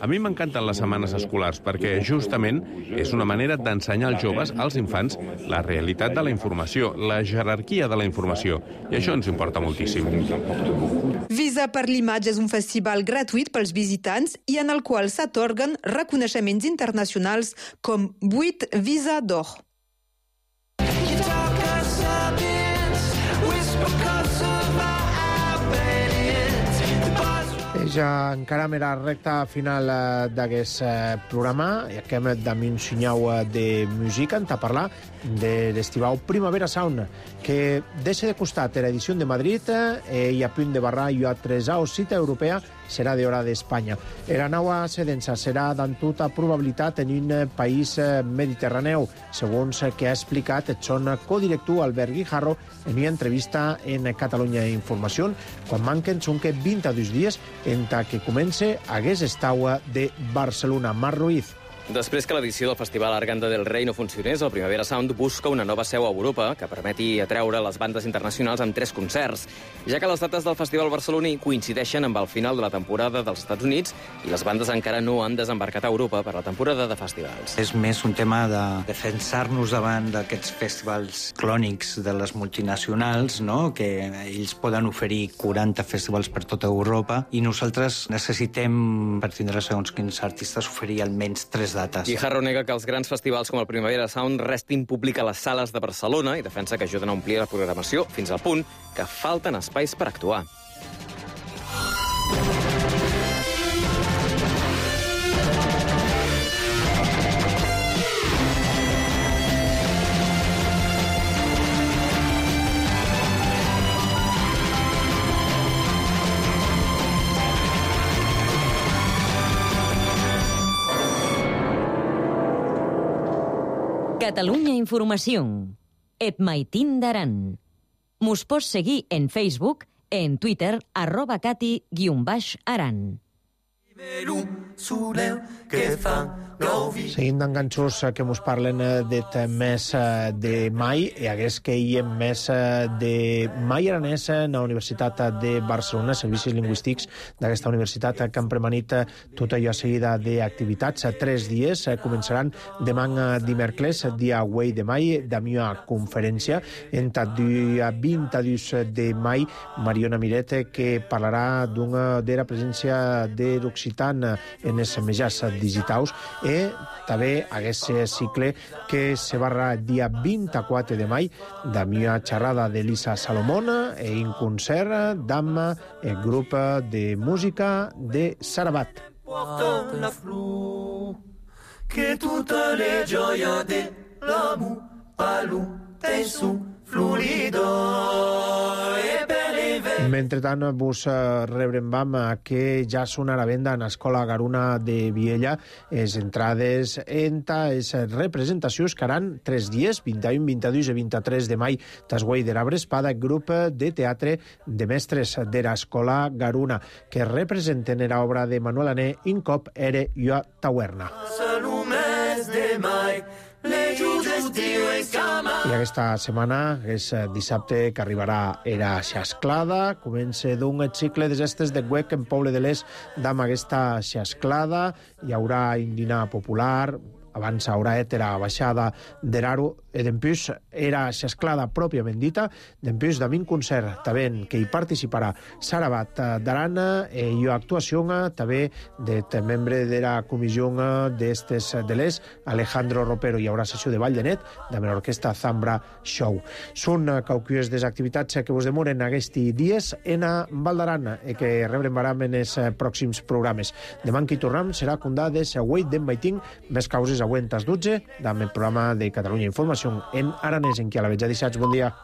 A mi m'encanten les setmanes escolars perquè justament és una manera d'ensenyar als joves, als infants, la realitat de la informació, la jerarquia de la informació. I això ens importa moltíssim. Visa per l'imatge és un festival gratuït pels visitants i en el qual s'atorguen reconeixements internacionals com 8 Visa d'or. Ja encara a la recta final d'aquest programa i acabem d'ami un sinyau de música a parlar de l'estival Primavera Sound, que deixa de costat l'edició de Madrid i a punt de barrar i a 3 cita europea serà d'hora d'Espanya. La nova sedença serà d'en tota probabilitat en un país mediterraneu, segons que ha explicat el son codirector Albert Guijarro en una entrevista en Catalunya Informació, quan manquen són que 22 dies entre que comence hagués estau de Barcelona. Marc Ruiz. Després que l'edició del Festival Arganda del Rei no funcionés, el Primavera Sound busca una nova seu a Europa que permeti atreure les bandes internacionals amb 3 concerts, ja que les dates del Festival barceloní coincideixen amb el final de la temporada dels Estats Units i les bandes encara no han desembarcat a Europa per la temporada de festivals. És més un tema de defensar-nos davant d'aquests festivals clònics de les multinacionals, no? Que ells poden oferir 40 festivals per tota Europa i nosaltres necessitem, per tindre segons quins artistes, oferir almenys 3 dates. Guijarro nega que els grans festivals com el Primavera Sound restin públic a les sales de Barcelona i defensa que ajuden a omplir la programació fins al punt que falten espais per actuar. Catalunya Informació. Et maitin d'Aran. Mos pots seguir en Facebook, en Twitter, @cati_aran. Seguint amb ganxos que ens parlen del mes de mai, i hagués que hi ha mes de mai aranès a la Universitat de Barcelona, servicis lingüístics d'aquesta universitat que han premanit tot allò seguida d'activitats. 3 dies començaran demà dimecres, dia 8 de mai, amb una conferència entre dia 22 de mai, Mariona Miret, que parlarà de la presència de l'occitan en els mitjans digitals també aquest cicle que se barra dia 24 de mai d'una xerrada d'Elisa Salomona i un concert d'Amma, el grup de música de Sarabat. Porte la flor, que toutes les joies de l'amour parlent d'un son florido et per l'hiver. Mentrestant, vos rebrembam que ja són a la venda en l'Escola Garuna de Viella les entrades enta les representacions que haran 3 dies, 21, 22 i 23 de mai, tasguai de l'Arbre Espada, grup de teatre de mestres de l'Escola Garuna, que representen l'obra de Manuel Ané, Un cop era jo a Taverna. I aquesta setmana, és dissabte, que arribarà era xasclada, comença d'un cicle de gestes de Güec en Poble de l'Est d'amb aquesta xasclada, hi haurà un dinar popular, abans haurà la baixada de l'Aro, i d'empús era xasclada pròpiament dita, d'empús d'am un concert també que hi participarà Sarabat d'Arana, i una actuació també de membre de la comissió d'estes de l'Est, Alejandro Ropero. Hi haurà sessió de ball de net de l'orquestra Zambra Show. Són qualques des activitats que vos demoren aquests dies en Val d'Aran i que rebrembaram en els pròxims programes. Demà que hi tornem serà condades a 8 d'en Baiting, més causes a 12 amb el programa de Catalunya Informació en aranès, en qui a la veig a 17. Bon dia.